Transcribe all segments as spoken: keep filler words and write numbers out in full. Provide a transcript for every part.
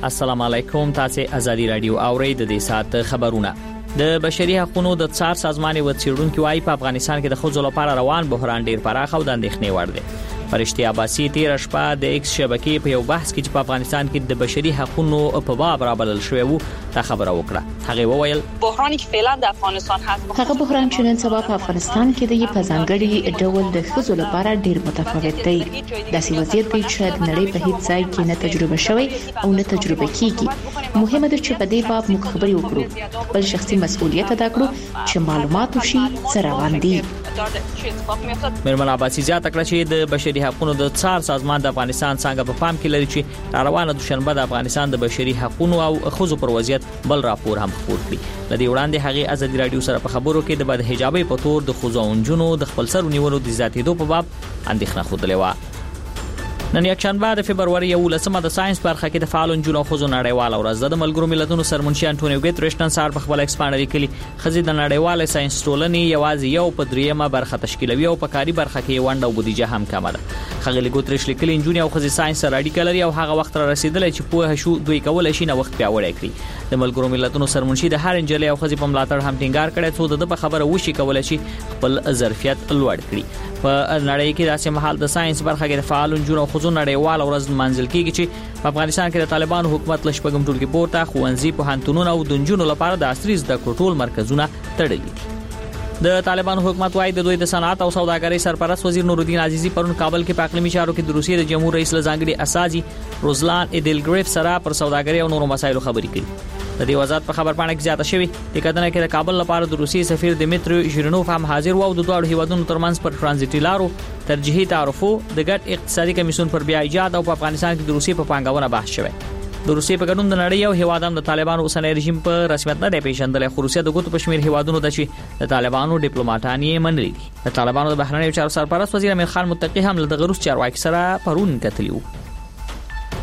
السلام علیکم، تاسو ازادي رادیو اورئ. د دې ساعت خبرونه. د بشري حقوقو د څار سازمان یو څېړونکي وايي په افغانستان کې د ښځو لپاره روان بحران ډیر پراخ او د اندېښنې وړ دی. فرشتې عباسي تېره شپه د ایکس شبکې په یو بحث کې چې په افغانستان کې د بشري حقوقو په باب رابلل شوی وو دا خبره وکړه. هغې وویل بحرانی که فعلا در افغانستان هست، هغه بحران چې نن سبا په افغانستان کې دی په ځانګړي ډول د ښځو لپاره ډیر متفاوت دی. داسې وضعیت دی چې د نړۍ په هیڅ ځای کې نه تجربه شوی او نه تجربه کیږي. مهمه ده چې په دې باب موږ خبرې وکړو، خپل شخصي مسؤلیت ادا کړو چې معلومات وشي څه روان دي. میرمن عباسي زیاته کړه چې د بشري حقوقو د څار سازمان د افغانستان څانګه په پام کې لري چې روانه دوشنبه د افغانستان د بشري حقوقو او ښځو پر وضعیت بل راپور هم خپور کړي. له دې وړاندې هغې ازادي راډیو سره په خبرو کې د بدحجابۍ په تور د ښځو او نجونو د خپلسرو نیولو د زیاتېدو په باب اندېښنه ښودلې وه. نن یکشنبه د فبروري یوولسمه د ساينس برخه کې د فعالو نجونو او ښځو نړیواله ورځ ده. د ملګرو ملتونو سرمنشي انټونیو ګوتریش نن سهار په خپل ایکس پاڼه لیکلي، ښځې د نړیوالې ساينس ټولنې یوازې یو په درېیمه برخه تشکیلوي او په کاري برخه کې یې ونډه او بودیجه هم کمه ده. ښاغلي ګوتریش لیکلي، نجونې او ښځې ساينس سره اړیکه لري او هغه وخت را رسېدلی چې پوه شو دوی کولی شي نوښت پیاوړی کړي. د ملګرو ملتونو سرمنشي د هر نجلۍ او ښځې په ملاتړ هم ټینګار کړی څو د ده په خبره وشي کولی شي خپل ظرفیت لوړ کړي. په نړۍ کې داسې مهال د ساينس برخه کې د فعالو نجونو او ښځو نړیواله ورځ لمانځل کیږي چې په افغانستان کې د طالبانو حکومت له شپږم ټولګي پورته ښوونځي، پوهنتونونه او د نجونو لپاره د عصري زده کړو ټول مرکزونه تړلي دي. د طالبانو حکومت وايي د دوی د صنعت او سوداګرۍ سرپرست وزیر نورالدین عزیزي پرون کابل کې په اقلیمي چارو کې د روسیې د جمهور رئیس له ځانګړي استازي روزلان ایدلګریف سره پر سوداګرۍ او نورو مسایلو خبرې کړې. د دې وزارت په خبرپاڼه کې زیاته شوې، د کتنه کې د کابل لپاره د روسیې سفیر دیمیتری ژیرنوف هم حاضر و او د دواړو هیوادونو ترمنځ پر ترانزیټي لارو، ترجیحي تعرفو، د ګډ اقتصادي کمیسیون پر بیا ایجاد او په افغانستان کې د روسیې په پانګونه بحث شوی. د روسیې په ګډون د نړۍ یو هیواد هم د طالبانو اوسنی رژیم په رسمیت نه دی پیژندلی، خو روسیه د ګوتو په شمېر هیوادونو ده چې د طالبانو ډیپلوماټان یې منلي دي. د طالبانو د بهرنیو چارو سرپرست وزیر امیر خان متقي هم له دغه روس چارواکي سره پرون کتلي وو.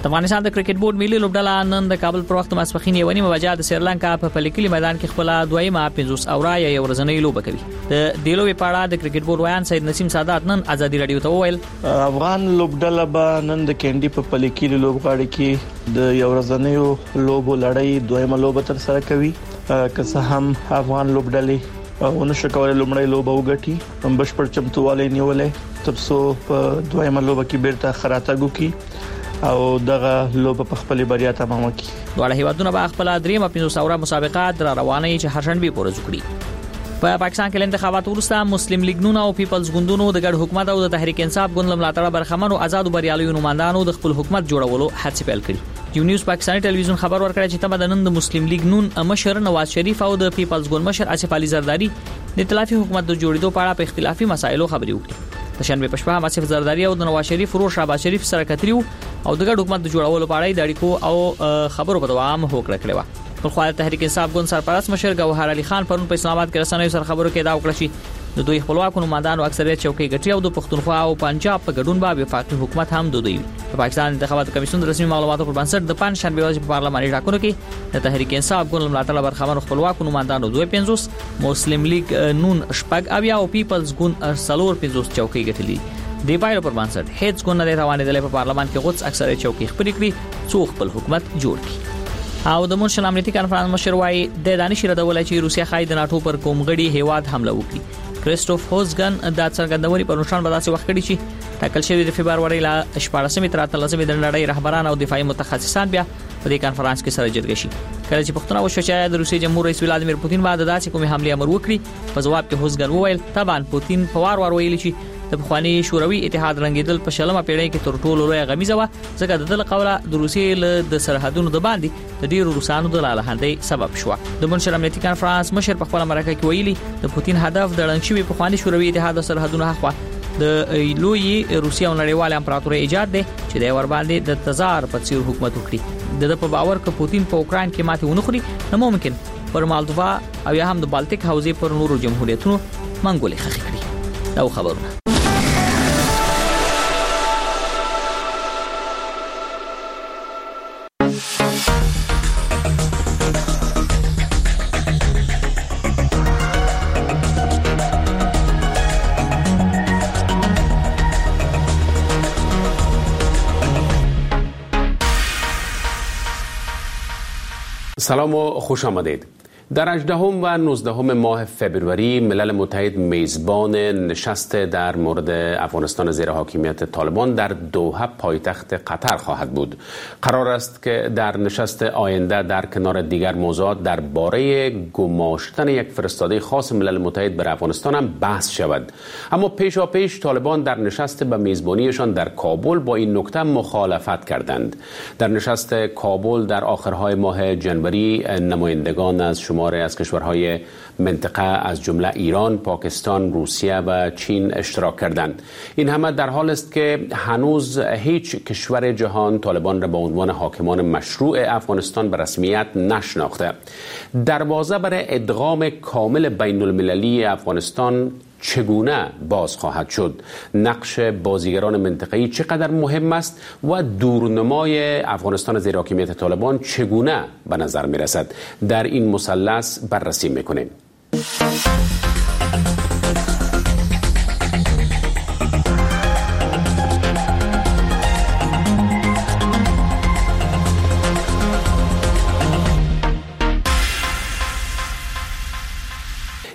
د افغانستان د کرکټ بورډ ملي لوبډله نن د کابل پر وخت ماسپښین یوه نیمه بجه د سریلانکا په پلیکلي میدان کې خپله دویمه پنځوس اوره یا یو ورځنۍ لوبه کوي. د دې لوبې په اړه د کرکټ بورډ ویاند سید نسیم سادات نن ازادي راډیو ته وویل، افغان لوبډله به نن د کینډي په پلیکلي لوبغاړي کې د یو ورځنیو لوبو لړۍ دویمه لوبه ترسره کوي. که څه هم افغان لوبډلې ونه شو کولی لومړۍ لوبه وګټي، بشپړ چمتووالی نیولی ترڅو په دویمه لوبه کې بیرته ښه راتګ وکړي او دغه لوبه په خپلې بریا تمامه کړي. دواړه هیوادونه به خپله درېیمه پنځوس اوره مسابقه را روانه چې هرشنبې په ورځ وکړي. په پاکستان کې له انتخاباتو وروسته مسلم لیګ نون او پیپلز ګوندونو د ګډ حکومت او د تحریک انصاف ګوند له ملاتړه برخمنو ازادو بریالیو نوماندانو د خپل حکومت جوړولو هڅې پیل کړې. جیو نیوز پاکستاني ټلویزیون خبر ورکړی چې تمه ده نن د مسلم لیګ نون مشر نواز شریف او د پیپلز ګوند مشر آصف علي زرداري د ائتلافي حکومت د جوړېدو په اړه په اختلافي مسایلو خبرې وکړي. د شنبې په شپه هم آصف زرداري او د نواز شریف ورور شهباز شریف سره کتلي وو او د ګډ حکومت د جوړولو په اړه یې د اړیکو او خبرو په دوام هوکړه کړې وه. بلخوا د تحریک انصاف ګوند سرپرست مشر ګوهر علي خان پرون په اسلام آباد کې رسنیو سره خبرو کې ادعا وکړه چې د دوی خپلواکو نوماندانو اکثریت چوکۍ ګټي او د پښتونخوا او پنجاب په ګډون به وفاقي حکومت هم د دوی وي. د پاکستان انتخاباتو کمیسیون د رسمي معلوماتو پر بنسټ د پنجشنبې ورځې په پارلماني ټاکنو کې د تحریک انصاف ګوند له ملاتړه برخمنو خپلواکو نوماندانو دوه پنځوس، مسلم لیګ نون شپږ اویا او پیپلز ګوند څلور پنځوس چوکۍ ګټلې. د پایلو پر بنسټ هیڅ ګوند نه دی توانېدلی په پارلمان کې غوڅ اکثریت چوکۍ خپلې کړي څو خپل حکومت جوړ کړي. او د مونشن امنیتي کانفرانس مشر وايي د دا نشي ردولی چې روسیه ښايي د ناټو پر کوم غړي هیواد حمله وکړي. کریستوف هوزګن دا څرګندونې پرون شنبه داسې وخت کړې چې ټاکل شوې د فبرورۍ له شپاړسمې تر اتلسمې د نړۍ رهبران او دفاعي متخصصان بیا په دې کانفرانس کې سره جرګه شي. کله چې پوښتنه وشوه چې آیا د روسیې جمهور رئیس ولادیمیر پوتین به د داسې کومې حملې امر وکړي، په ځواب کې هوزګن وویل طبعا پوتین په وار وار ویلي چې د پخواني شوروي اتحاد رنګېدل په شلمه پیړۍ کې تر ټولو لویه غمیزه وه، ځکه د ده له قوله د روسیې له د سرحدونو د باندې د ډېرو روسانو د لالهاندۍ سبب شوه. د مونشن امنیتي کانفرانس مشر په خپله مرکه کې ویلي د پوتین هدف د ړنګ شوي پخواني شوروي اتحاد د سرحدونو هاخوا د لویې روسیې او نړیوالې امپراتورۍ ایجاد دی چې دی ورباندې د تزار په څېر حکومت وکړي. د ده په باور که پوتین په اوکراین کې ماتې ونه خوري نو ممکن پر مالدووا او یا هم د بالتیک حوزې پر نورو جمهوریتونو منګولې ښخې کړي. دا خبرونه. سلام و خوش آمدید. در هجدهم و نوزدهم ماه فبروری ملل متحد میزبان نشست در مورد افغانستان زیر حاکمیت طالبان در دوحه پایتخت قطر خواهد بود. قرار است که در نشست آینده در کنار دیگر موضوعات درباره گماشتن یک فرستاده خاص ملل متحد بر افغانستان هم بحث شود. اما پیشاپیش طالبان در نشست به میزبانیشان در کابل با این نکته مخالفت کردند. در نشست کابل در آخرهای ماه جنوری نمایندگان از شما از کشورهای منطقه از جمله ایران، پاکستان، روسیه و چین اشتراک کردند. این همه در حال است که هنوز هیچ کشور جهان طالبان را به عنوان حاکمان مشروع افغانستان به رسمیت نشناخته. دروازه برای ادغام کامل بین المللی افغانستان چگونه باز خواهد شد؟ نقش بازیگران منطقه‌ای چقدر مهم است و دورنمای افغانستان زیر حاکمیت طالبان چگونه به نظر می‌رسد؟ در این مثلث بررسی می‌کنیم.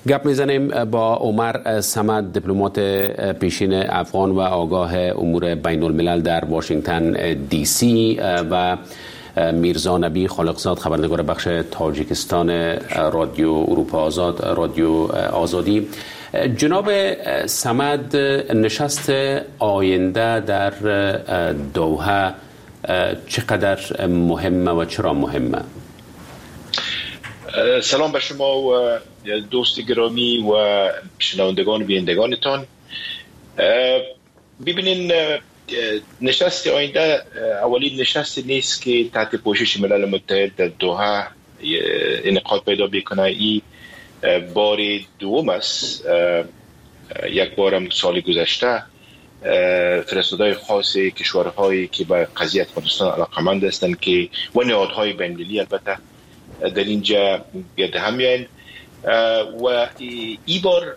گپ میزنیم با عمر صمد، دیپلمات پیشین افغان و آگاه امور بین الملل در واشنگتن دی سی، و میرزا نبی خالقزاد، خبرنگار بخش تاجیکستان رادیو اروپا آزاد، رادیو آزادی. جناب صمد، نشست آینده در دوحه چقدر مهمه و چرا مهمه؟ سلام به شما و دوست گرامی و شنوندگان و بینندگانتان. ببینین، نشست آینده اولین نشست نیست که تحت پوشش ملل متحد در دوحه انعقاد پیدا بکنه. ای بار دوم است. یک بارم سال گذشته فرستادهای خاص کشورهایی که به قضیه افغانستان علاقمند هستند که و نهادهای بین‌المللی البته در اینجا گرد هم میاین و ای بار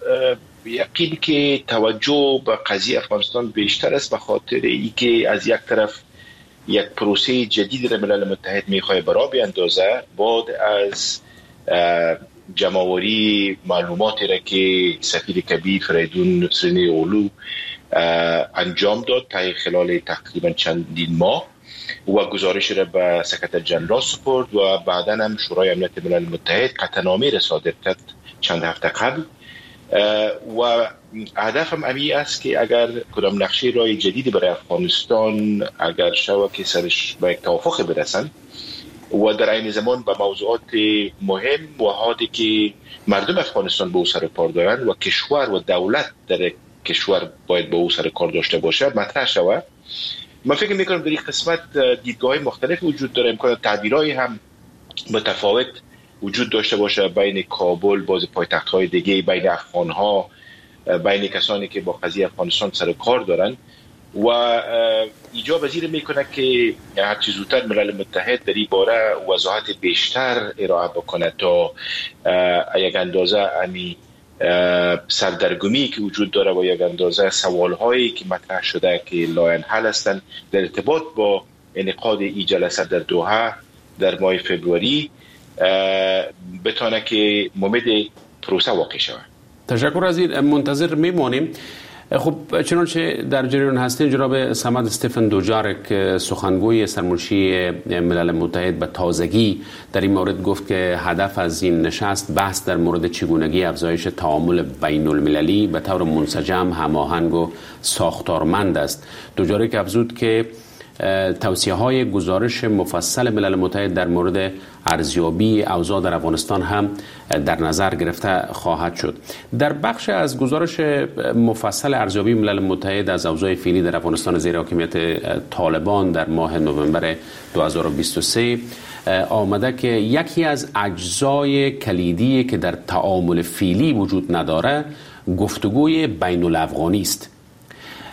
یقین که توجه به قضیه افغانستان بیشتر است، به خاطر ای که از یک طرف یک پروسه جدید را ملل متحد میخواد برا بیاندازه بعد از جمع‌آوری معلوماتی را که سفیر کبیر فریدون سرینی اولو انجام داد تا خلال تقریبا چندین ماه و گزارش را به سکرتر جنرال سپرد و بعدا هم شورای امنیت ملل متحد قطعنامه را صادر کرد چند هفته قبل. و هدف هم امی است که اگر کدام نقشه رای جدید برای افغانستان اگر شود که سرش به یک توافق برسند و در عین زمان به موضوعات مهم و حادی که مردم افغانستان به او سر کار دارند و کشور و دولت در کشور باید به او سر کار داشته باشد مطرح شود. من فکر میکنم در این قسمت دیدگاه‌های مختلف وجود داره، امکان تعبیرهای هم متفاوت وجود داشته باشه بین کابل، باز پایتخت‌های دیگه، بین افغان‌ها، بین کسانی که با قضیه افغانستان سر کار دارن و ایجاب وزیر میکنه که هرچی زودتر ملل متحد در این باره وضاحت بیشتر ارائه بکنه تا یک اندازه امی سردرگمی که وجود داره و یک اندازه سوال هایی که مطرح شده که لاینحل هستند در ارتباط با انعقاد این جلسه در دوحه در ماه فبروری بتانه که ممد پروسه واقع شود. تشکر از این، منتظر میمانیم. خب چنانچه در جریان هستین، جناب صمد، استفن دوجارک سخنگوی سرمنشی ملل متحد به تازگی در این مورد گفت که هدف از این نشست بحث در مورد چگونگی افزایش تعامل بین المللی به طور منسجم، هماهنگ و ساختارمند است. دوجارک افزود که توصیه های گزارش مفصل ملل متحد در مورد ارزیابی اوضاع در افغانستان هم در نظر گرفته خواهد شد. در بخش از گزارش مفصل ارزیابی ملل متحد از اوضاع فعلی در افغانستان زیر حاکمیت طالبان در ماه نوامبر دو هزار و بیست و سه آمده که یکی از اجزای کلیدی که در تعامل فعلی وجود نداره گفتگوی بین الافغانی است.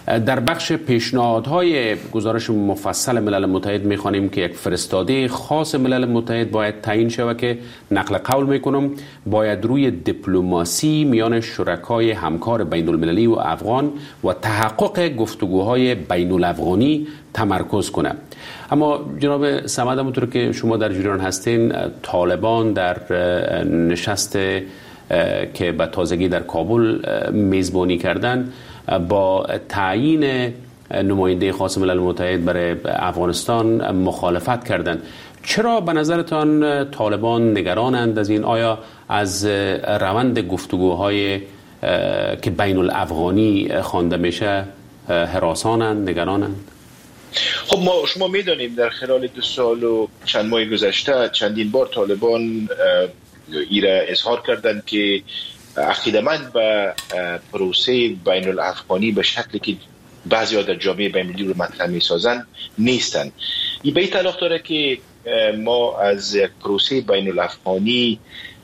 در بخش پیشنهادهای گزارش مفصل ملل متحد میخوانیم که یک فرستاده خاص ملل متحد باید تعیین شود که نقل قول میکنم باید روی دیپلماسی میان شرکای همکار بین المللی و افغان و تحقق گفتگوهای بین الافغانی تمرکز کنه. اما جناب صمد، همونطور که شما در جریان هستین، طالبان در نشست که به تازگی در کابل میزبانی کردن با تعیین نماینده خاص ملل متحد برای افغانستان مخالفت کردند. چرا به نظرتان طالبان نگرانند از این؟ آیا از روند گفتگوهای که بین الافغانی خوانده میشه هراسانند، نگرانند؟ خب ما شما میدانیم در خلال دو سال و چند ماه گذشته چندین بار طالبان ایره اظهار کردند که عقیده‌مند به پروسه بین الافغانی به شکلی که بعضی ها در جامعه بین المللی رو مطرح می‌سازند نیستند. این به این تعلق داره که ما از یک پروسه بین الافغانی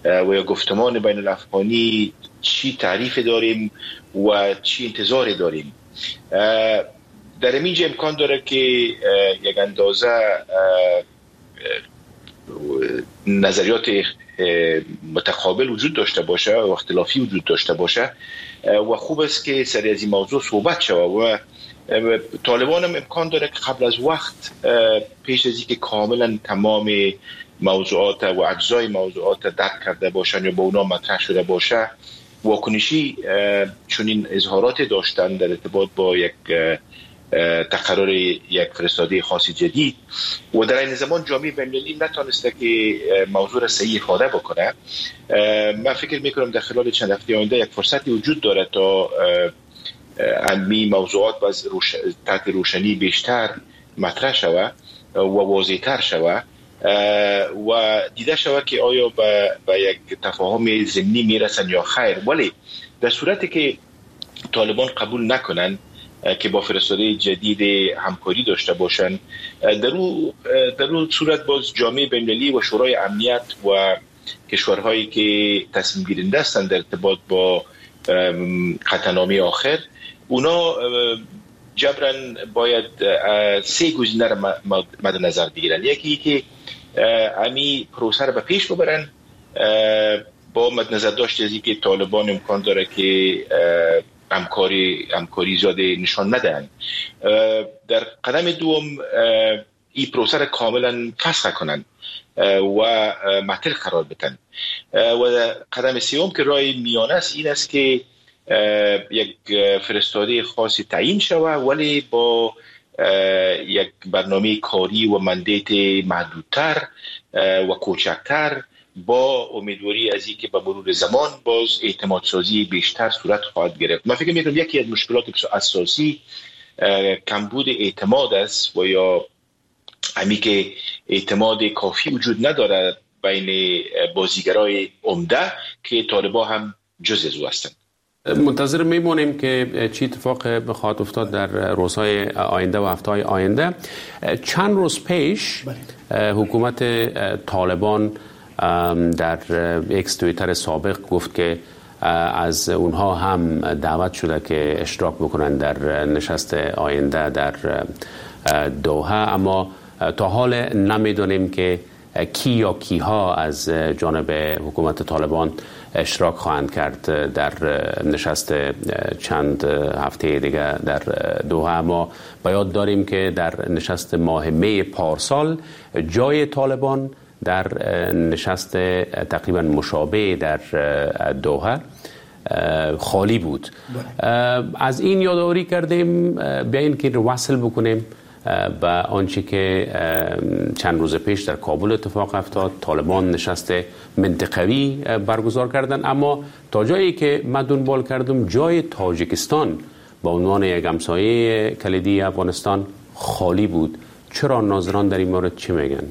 و یا گفتمان بین الافغانی چی تعریف داریم و چی انتظار داریم. در اینجا امکان داره که یک اندازه نظریات متقابل وجود داشته باشه و اختلافی وجود داشته باشه و خوب است که سر از این موضوع صحبت شود و طالبان هم امکان داره که قبل از وقت پیش از اینکه کاملا تمام موضوعات و اجزای موضوعات درک کرده باشن یا با اونا مطرح شده باشه واکنشی چنین اظهارات داشتن در ارتباط با یک تقرر یک فرستاده خاص جدید و در این زمان جامعه بین‌المللی نتانسته که موضوع را صحیح افاده بکنه. من فکر میکنم در خلال چند هفته آینده یک فرصتی وجود داره تا امی موضوعات باز روش... تحت روشنی بیشتر مطرح شود و واضح‌تر شود و دیده شود که آیا به, به یک تفاهم ضمنی میرسن یا خیر. ولی در صورتی که طالبان قبول نکنن که با فرستاده جدید همکاری داشته باشند، در او در او صورت باز جامعه بین‌المللی و شورای امنیت و کشورهایی که تصمیم گیرنده هستند در ارتباط با قطعنامه آخر، اونا جبرا باید سه گزینه را مد نظر بگیرن. یکی که امی پروسه را به پیش ببرن با مد نظر داشت از اینکه طالبان امکان داره که همکاری همکاری زیاد نشان ندهند. در قدم دوم این پروسه را کاملا فسخ کنند و معطل قرار بدن. و قدم سوم که راه میانه است این است که یک فرستاده خاصی تعیین شود ولی با یک برنامه کاری و مندیت محدودتر و کوچکتر، با امیدواری از اینکه به مرور زمان باز اعتماد سازی بیشتر صورت خواهد گرفت. من فکر می‌کنم یکی از مشکلات اساسی کمبود اعتماد است و یا همی که اعتماد کافی وجود ندارد بین بازیگرای عمده که طالبا هم جز از او هستند. منتظر میمونیم که چی اتفاق بخواهد افتاد در روزهای آینده و هفته‌های آینده. چند روز پیش حکومت طالبان در اکس توییتر سابق گفت که از اونها هم دعوت شده که اشتراک بکنن در نشست آینده در دوحه، اما تا حال نمیدونیم که کی یا کیها از جانب حکومت طالبان اشتراک خواهند کرد در نشست چند هفته دیگه در دوحه. اما باید داریم که در نشست ماه می پارسال جای طالبان در نشست تقریبا مشابه در دوحه خالی بود. از این یادآوری کردیم بیاین که وصل بکنیم به آنچه که چند روز پیش در کابل اتفاق افتاد. طالبان نشست منطقوی برگزار کردن، اما تا جایی که من دنبال کردم جای تاجیکستان به عنوان یک همسایه کلیدی افغانستان خالی بود. چرا؟ ناظران در این مورد چی میگن؟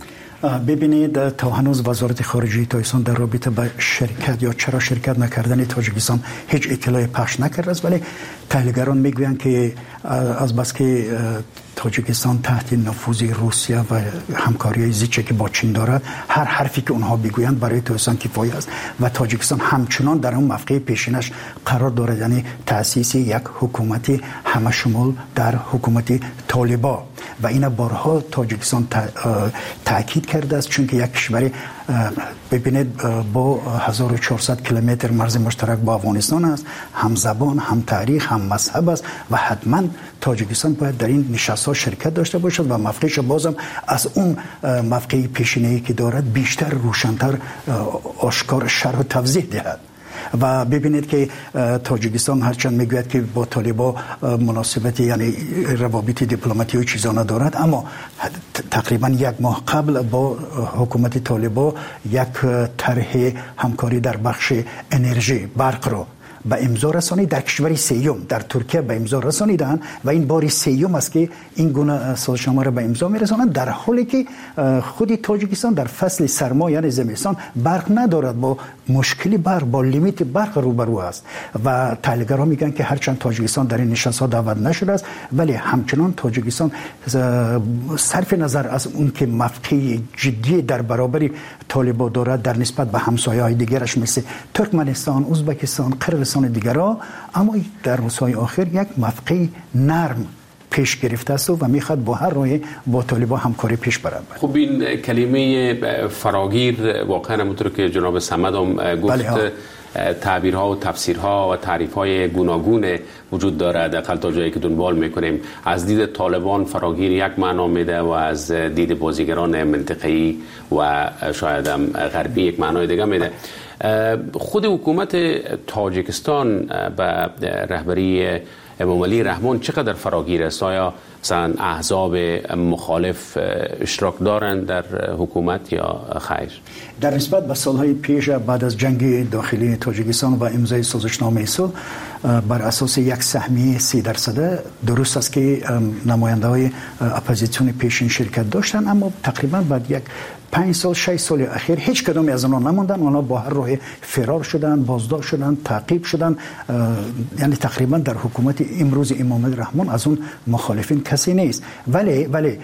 ببینید، تا هنوز وزارت خارجه تاجیکستان در رابطه با شرکت یا چرا شرکت نکردن تاجیکستان هیچ اطلاعی پخش نکرده است، ولی تحلیلگران میگویند که از بس که تاجیکستان تحت نفوذ روسیه و همکاری زیچه که با چین دارد، هر حرفی که اونها بگویند برای تاجیکستان کفایه است و تاجیکستان همچنان در اون موقع پیشینش قرار دارد، یعنی تأسیس یک حکومت همه شمول در حکومت طالبان. و این بارها تاجیکستان تاکید کرده است، چون که یک کشور ببینید با هزار و چهارصد کیلومتر مرز مشترک با افغانستان است، هم زبان، هم تاریخ، هم مذهب است و حتما تاجیکستان باید در این نشست‌ها شرکت داشته باشد و موقعش بازم از اون موقع پیشینه‌ای که دارد بیشتر روشن‌تر آشکار شرح و توضیح دهد. و ببینید که تاجیکستان هرچند میگوید که با طالبان مناسبت، یعنی روابط دیپلماتی و چیزا ندارد، اما تقریبا یک ماه قبل با حکومت طالبان یک طرح همکاری در بخش انرژی برق رو به امضا رسانید، در کشور سیوم در ترکیه به امضا رسانیدند و این بار سیوم است که این گونه سازشنامه را به امضا میرسانند، در حالی که خود تاجیکستان در فصل سرما یعنی زمستان برق ندارد، با مشکل برق، با لیمیت برق روبرو است. و تحلیلگران میگن که هرچند تاجیکستان در این نشست ها دعوت نشده است، ولی همچنان تاجیکستان صرف نظر از اون که موقع جدی در برابر طالبان دارد در نسبت به همسایه‌های دیگرش مثل ترکمنستان، ازبکستان، قرقیزستان دیگرها، اما در روزهای آخر یک موقع نرم پیش گرفته است و میخواد با هر راه با طالبان همکاری پیش برد. خب این کلمه فراگیر واقعا همونطور که جناب صمد هم گفت، بله، تعبیرها و تفسیرها و تعریف‌های گوناگون وجود دارد، حداقل تا جایی که دنبال میکنیم. از دید طالبان فراگیر یک معنا میده و از دید بازیگران منطقه‌ای و شاید هم غربی یک معنای دیگه میده. خود حکومت تاجیکستان به رهبری امام علی رحمان چقدر فراگیر است؟ آیا مثلا احزاب مخالف اشتراک دارند در حکومت یا خیر؟ در نسبت به سالهای پیش بعد از جنگ داخلی تاجیکستان و امضای سازشنامه صلح بر اساس یک سهمیه سی درصد، درست است که نماینده های اپوزیسیون پیشین شرکت داشتند، اما تقریبا بعد یک پنج سال شش سال اخیر هیچ کدوم از آنها نماندن، آنها با هر راه فرار شدند، بازداشت شدند، تعقیب شدند. یعنی تقریبا در حکومت امروز امام علی رحمان از اون مخالفین کسی نیست. ولی ولی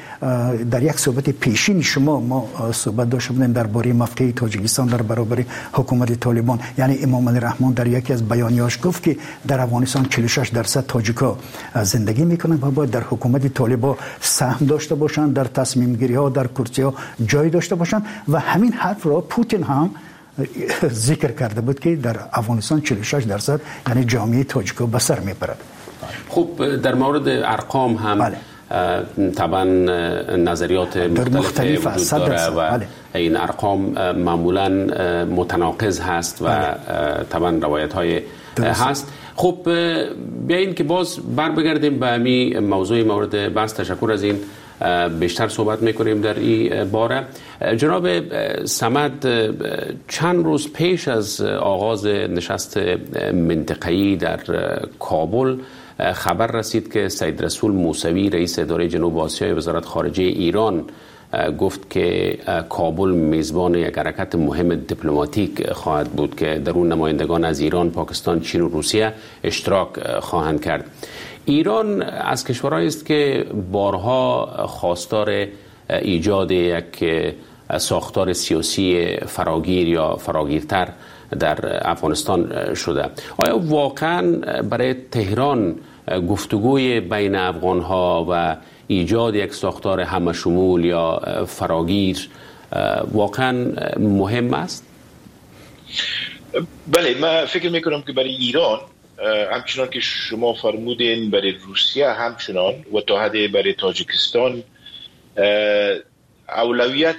در یک صحبت پیشین شما ما صحبت داشته بودیم درباره موقع تاجیکستان در برابر حکومت طالبان، یعنی امام علی رحمان در یکی از بیانیه‌اش گفت که در افغانستان چهل و شش درصد تاجیکا زندگی میکنند و باید در حکومت طالبان سهم داشته باشند، در تصمیم گیری ها، در کرسی ها جای داشته باشند. و همین حرف را پوتین هم ذکر کرده بود که در افغانستان چهل و شش درصد یعنی جامعه تاجیکا به سر میبرد. خب در مورد ارقام هم بله. طبعا نظریات مختلف وجود داره و بله. این ارقام معمولا متناقض هست و بله. طبعا روایت های هست. خب بیاین که باز بر بگردیم به همین موضوع مورد بحث. تشکر از این بیشتر صحبت میکنیم در این باره. جناب صمد، چند روز پیش از آغاز نشست منطقه‌ای در کابل خبر رسید که سید رسول موسوی رئیس اداره جنوب آسیای وزارت خارجه ایران گفت که کابل میزبان یک حرکت مهم دیپلماتیک خواهد بود که در اون نمایندگان از ایران، پاکستان، چین و روسیه اشتراک خواهند کرد. ایران از کشورهایی است که بارها خواستار ایجاد یک ساختار سیاسی فراگیر یا فراگیرتر در افغانستان شده. آیا واقعا برای تهران گفتگوی بین افغانها و ایجاد یک ساختار همه شمول یا فراگیر واقعا مهم است؟ بله، من فکر میکنم که برای ایران همچنان که شما فرمودین، برای روسیه همچنان و تا حد برای تاجیکستان اولویت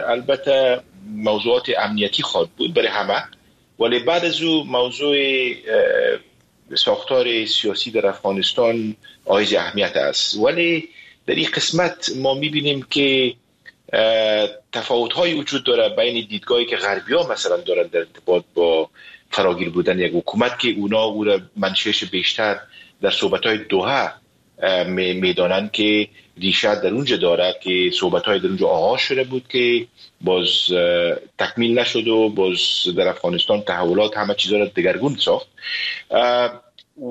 البته موضوعات امنیتی خواهد بود برای همه، ولی بعد از او موضوع ساختار سیاسی در افغانستان حائز اهمیت است. ولی در این قسمت ما میبینیم که تفاوت‌های وجود داره بین دیدگاهی که غربی‌ها مثلا دارن در ارتباط با فراگیر بودن یک حکومت که اونا او را منشأش بیشتر در صحبت‌های دوحه میدانند که ریشه در اونجا داره که صحبت‌های در اونجا آغاز شده بود که باز تکمیل نشد و باز در افغانستان تحولات همه چیزا را دگرگون ساخت.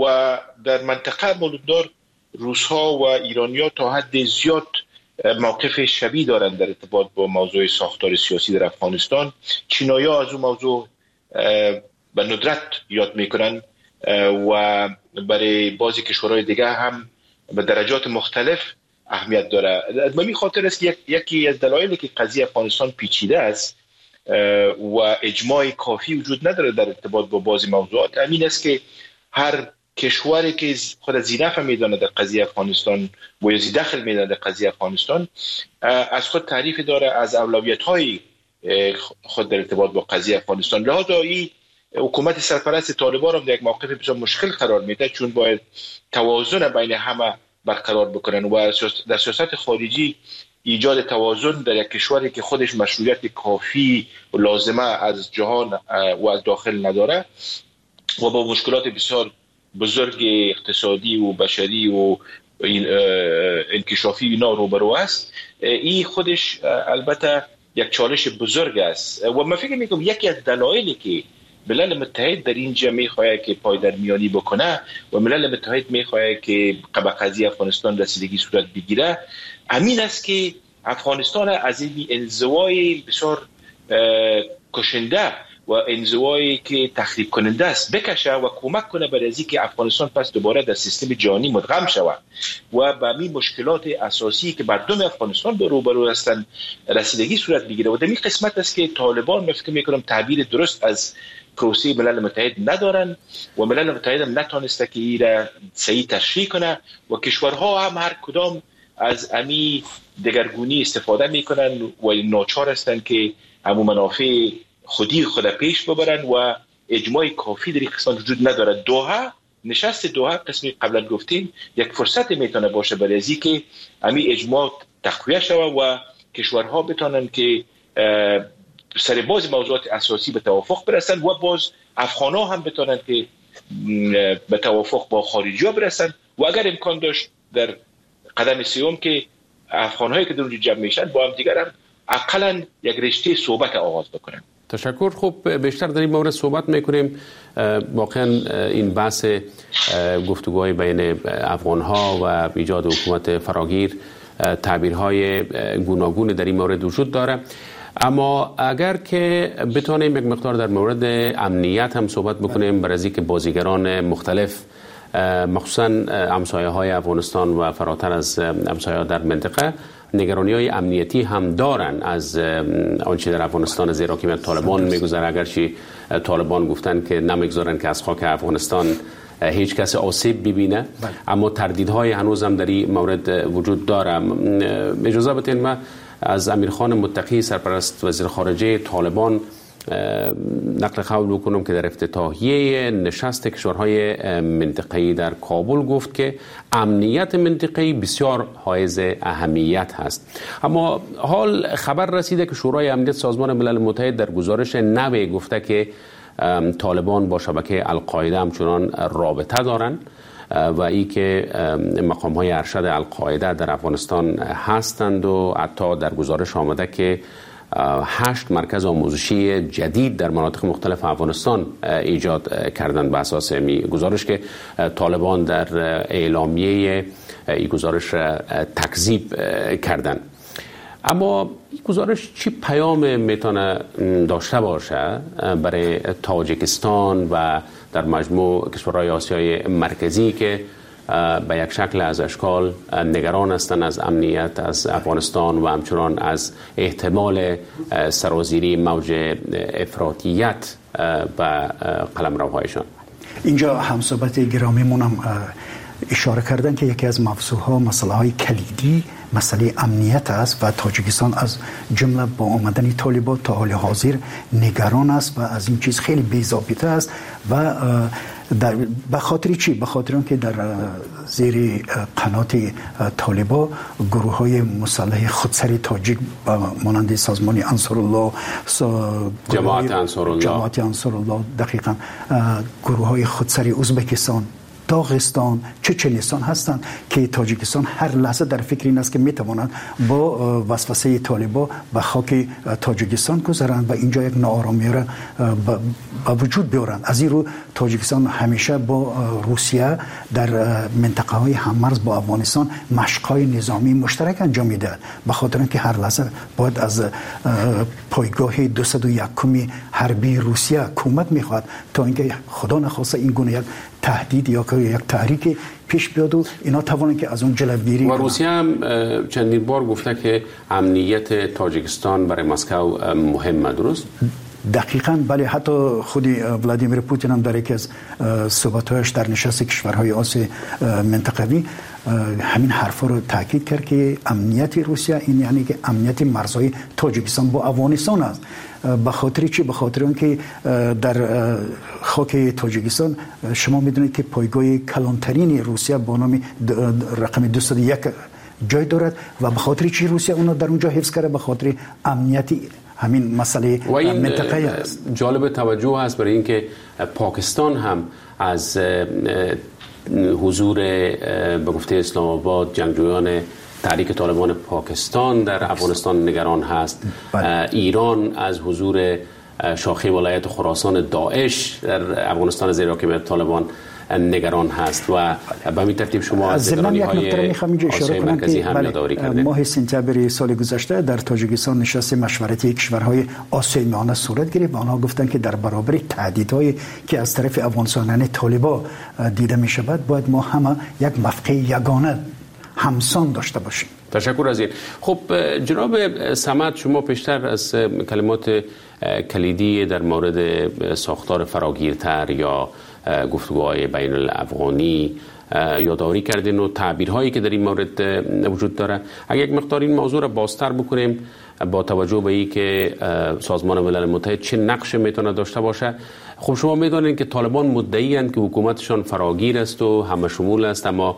و در منطقه مولوددار روس‌ها و ایرانی‌ها تا حد زیاد موقف شبیه دارند در ارتباط با موضوع ساختار سیاسی در افغانستان. چینایی‌ها از اون موضوع به ندرت یاد میکنن و برای بعضی کشورهای دیگه هم به درجات مختلف اهمیت داره. از همین خاطر است که یکی از دلایلی که قضیه افغانستان پیچیده است و اجماع کافی وجود نداره در ارتباط با بعضی موضوعات همین است که هر کشوری که خود ذینفع میدانه در قضیه افغانستان و یا ذیدخل میدانه در قضیه افغانستان از خود تعریف داره از اولویت های خود در ارتباط با قضیه افغانستان. لذا این حکومت سرپرست طالبان هم در یک موقف بسیار مشکل قرار میده، چون باید توازن بین همه برقرار بکنن و در سیاست خارجی ایجاد توازن در یک کشوری که خودش مشروعیت کافی و لازمه از جهان و از داخل نداره و با مشکلات بسیار بزرگ اقتصادی و بشری و انکشافی اینا روبرو است، این خودش البته یک چالش بزرگ است. و من فکر میکنم یکی از دلایلی که ملل متحد در اینجا میخواد که پای در میانی بکنه و ملل متحد میخواد که به قضیه افغانستان رسیدگی صورت بگیره همین است که افغانستان از این انزوای بسیار کشنده و انزوایی که تخریب کننده است بکشه و کمک کنه برای از اینکه افغانستان پس دوباره در سیستم جهانی مدغم شود و به همین مشکلات اساسی که مردم افغانستان به روبرو هستند رسیدگی صورت بگیره. و در این قسمت است که طالبان من فکر میکنم تعبیر درست از پروسه ملل متحد ندارن و ملل متحد هم نتونسته که این را صحیح تشریح کنه و کشورها هم هر کدام از امی دگرگونی استفاده میکنن و ناچار هستند که همون منافع خودی خود پیش ببرن و اجماع کافی در این قسمت وجود نداره. دوحه، نشست دوحه قسمی قبلا گفتیم یک فرصت میتونه باشه برای از که امی اجماع تقویه شود و کشورها بتونن که سر باز موضوعات اساسی به توافق برسن و باز افغان‌ها هم بتونن که به توافق با خارجی‌ها برسن و اگر امکان داشت در قدم سوم که افغان‌هایی که در اونجا جمع میشن با هم دیگر هم اقلا یک رشته صحبت آغاز بکنن. تشکر. خب بیشتر در این مورد صحبت میکنیم. واقعا این بحث گفتگوهای بین افغانها و ایجاد حکومت فراگیر تعبیرهای گوناگون در این مورد وجود داره، اما اگر که بتونیم یک مقدار در مورد امنیت هم صحبت بکنیم برای اینکه بازیگران مختلف مخصوصا همسایه های افغانستان و فراتر از همسایه در منطقه نگرانی های امنیتی هم دارن از آنچه در افغانستان زیر حاکمیت طالبان میگذره. اگرچه طالبان گفتن که نمیگذارن که از خاک افغانستان هیچ کس آسیب ببینه، اما تردیدهای هنوز هم در این مورد وجود داره. اجازه بدین من از امیرخان متقی سرپرست وزیر خارجه طالبان نقل قول بکنم که در افتتاحیه نشست کشورهای منطقه‌ای در کابل گفت که امنیت منطقه‌ای بسیار حائز اهمیت هست. اما حال خبر رسیده که شورای امنیت سازمان ملل متحد در گزارش نوی گفته که طالبان با شبکه القاعده همچنان رابطه دارند و ای که مقام های ارشد القاعده در افغانستان هستند و حتی در گزارش آمده که هشت مرکز آموزشی جدید در مناطق مختلف افغانستان ایجاد کردند. به اساس می گزارش که طالبان در اعلامیه این گزارش را تکذیب کردند. اما این گزارش چی پیام میتونه داشته باشه برای تاجیکستان و در مجموع کشورهای آسیای مرکزی که به یک شکل از اشکال نگران هستند از امنیت از افغانستان و همچنان از احتمال سرازیری موج افراطیت به قلمروهایشان؟ اینجا همصحبت گرامیمون هم اشاره کردن که یکی از موضوعها مسئله های کلیدی مسئله امنیت است و تاجیکستان از جمله با آمدن طالبان تا حال حاضر نگران است و از این چیز خیلی بی‌ضابطه است و در به خاطر چی؟ به خاطر اینکه در زیر قنات طالبان گروه های مسلح خودسری تاجیک مانند سازمان انصارالله، جماعت انصارالله، جماعت انصارالله دقیقاً گروه های خودسری ازبکستان، داغستان، چچنستان هستند که تاجیکستان هر لحظه در فکر این است که میتوانند با وسوسه طالبان به خاک تاجیکستان گذرند و اینجا یک ناآرامی را به وجود بیارند. از این رو تاجیکستان همیشه با روسیه در منطقه های هممرز با افغانستان مشق‌های نظامی مشترک انجام میدهد، به خاطر اینکه هر لحظه باید از پایگاه دویست و یک حربی روسیه کمک میخواد تا اینکه خدا نخواسته این گونه یک تهدید یا یک تحریک پیش بیاد و اینا توانند که از اون جلوگیری. و روسیه هم چندین بار گفته که امنیت تاجیکستان برای مسکو مهمه، درست؟ دقیقاً بله، حتی خود ولادیمیر پوتین هم در یکی از صحبت‌هایش در نشست کشورهای آسیای منطقوی همین حرفا رو تاکید کرد که امنیت روسیه این یعنی که امنیت مرزهای تاجیکستان با افغانستان است. به خاطر چی؟ به خاطر اینکه در خاک تاجیکستان شما میدونید که پایگاه کلانترین روسیه با نام رقم دویست و یک جای دارد و به خاطر چی روسیه اونو در اونجا حفظ کرده؟ به خاطر امنیت همین مسئله منطقه است. جالب توجه است برای اینکه پاکستان هم از حضور به گفته اسلام آباد جنگجویان تحریک طالبان پاکستان در افغانستان نگران هست. بله. ایران از حضور شاخه ولایت خراسان داعش در افغانستان زیر حاکمیت طالبان نگران هست و به همین ترتیب شما از نگرانی‌های آسیای مرکزی هم یادآوری کردید. ماه سپتامبر سال گذشته در تاجیکستان نشست مشورتی کشورهای آسیای میانه صورت گرفت و آنها گفتند که در برابر تهدیدهایی که از طرف افغانستان یعنی طالبان دیده می شود باید ما همه یک موقع یگانه همسان داشته باشیم. تشکر از این. خب جناب صمد، شما پیشتر از کلمات کلیدی در مورد ساختار فراگیرتر یا گفتگوهای بین الافغانی یادآوری کردین و تعبیرهایی که در این مورد وجود داره. اگر یک مقدار این موضوع را بازتر بکنیم با توجه به این که سازمان ملل متحد چه نقش میتونه داشته باشه، خب شما میدونین که طالبان مدعی اند که حکومتشان فراگیر است و همه شمول است، اما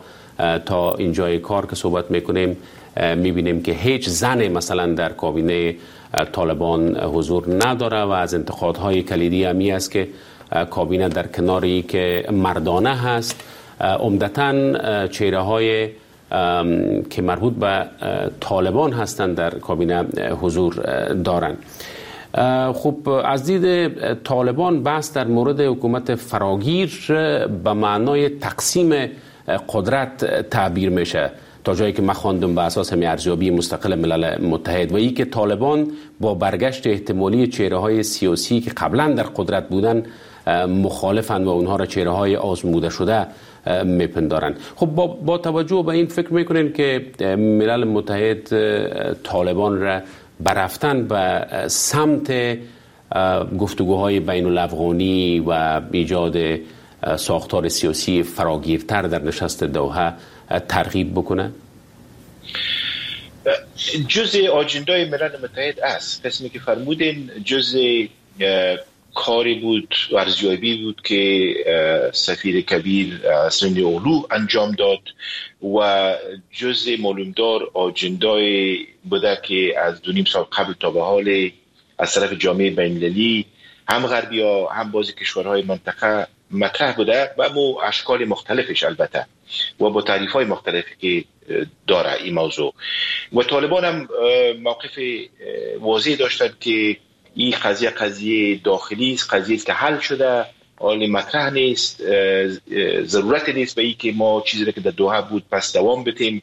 تا اینجای کار که صحبت میکنیم میبینیم که هیچ زن مثلا در کابینه طالبان حضور نداره و از انتقادهای کلیدی همی است که کابینه در کناری که مردانه هست عمدتاً چهره های که مربوط به طالبان هستند در کابینه حضور دارند. خب از دید طالبان بحث در مورد حکومت فراگیر به معنای تقسیم قدرت تعبیر میشه تا جایی که من خواندم به اساس همین ارزیابی مستقل ملل متحد و ای که طالبان با برگشت احتمالی چهره های سیاسی که قبلا در قدرت بودن مخالفند و اونها را چهره های آزموده شده میپندارند. خب با, با توجه به این فکر میکنین که ملل متحد طالبان را برفتن به سمت گفتگوهای بین الافغانی و ایجاد ساختار سیاسی فراگیرتر در نشست دوحه ترغیب بکنه؟ جزء آجندای ملل متحد است. قسمی که فرمودین جزء کاری بود، ارزیابی بود که سفیر کبیر سرین اولو انجام داد و جزء معلومدار آجندای بوده که از دو نیم سال قبل تا به حال از طرف جامعه بین‌المللی هم غربی ها هم بعضی کشورهای منطقه مطرح بوده و مو اشکال مختلفش البته و با تعریف های مختلفی که داره این موضوع. و طالبان هم موقف واضح داشتند که این قضیه قضیه داخلی است، قضیه است که حل شده، حال مطرح نیست، ضرورت نیست به این که ما چیزی که در دوحه بود پس دوام بدیم،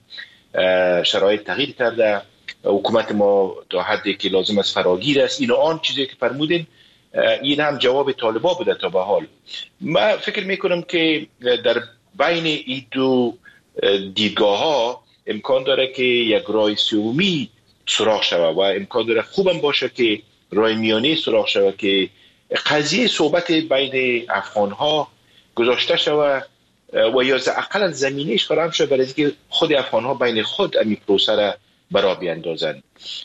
شرایط تغییر کرده، حکومت ما تا حدی که لازم است فراگیر است، این آن چیزی که فرمودین این هم جواب طالبا بوده تا به حال. من فکر میکنم که در بین این دو دیدگاه ها امکان داره که یک رای سومی سراغ شود و امکان داره خوبم باشه که رای میانه سراغ شود که قضیه صحبت بین افغان ها گذاشته شود و یا اقلا زمینهش فراهم شود برای اینکه خود افغان ها بین خود امی پروسه را برا بیاندازند.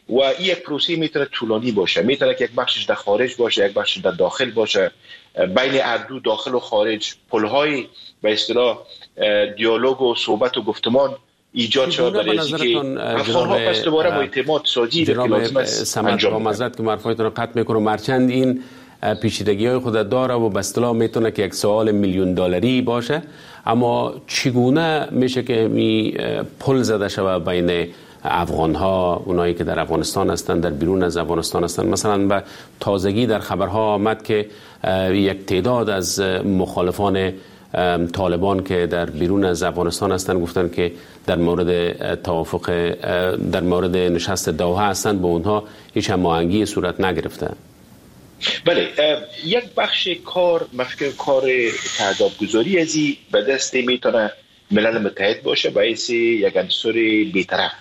و این یک پروسه میتونه طولانی باشه، میتونه که یک بخشش در خارج باشه، یک بخشش در داخل باشه، بین هر دو داخل و خارج پل‌های به اصطلاح دیالوگ و صحبت و گفتمان ایجاد شود برای اینکه افغان‌ها پس دوباره با اعتماد سازی که لازم است انجام. با معذرت که حرفایتون رو قطع میکنم، هرچند این پیچیدگی های خود داره و به اصطلاح میتونه که یک سوال میلیون دلاری باشه، اما چگونه میشه که می پل زده شود بین افغان ها، اونایی که در افغانستان هستند، در بیرون از افغانستان هستند؟ مثلا به تازگی در خبرها آمد که یک تعداد از مخالفان طالبان که در بیرون از افغانستان هستند گفتند که در مورد توافق، در مورد نشست دوحه هستند، با اونها هیچ هماهنگی صورت نگرفته. بله، یک بخش کار مفکر کار تهدابگذاری ازی به دست میتونه ملل متحد باشه باعث یک عنصر بی‌طرف،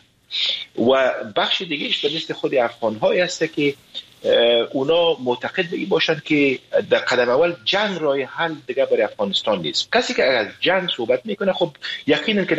و بخش دیگهش به دست خود افغان های هست که اونا معتقد به این باشند که در قدم اول جنگ راه حل دیگه برای افغانستان نیست. کسی که از جنگ صحبت میکنه خب یقینا که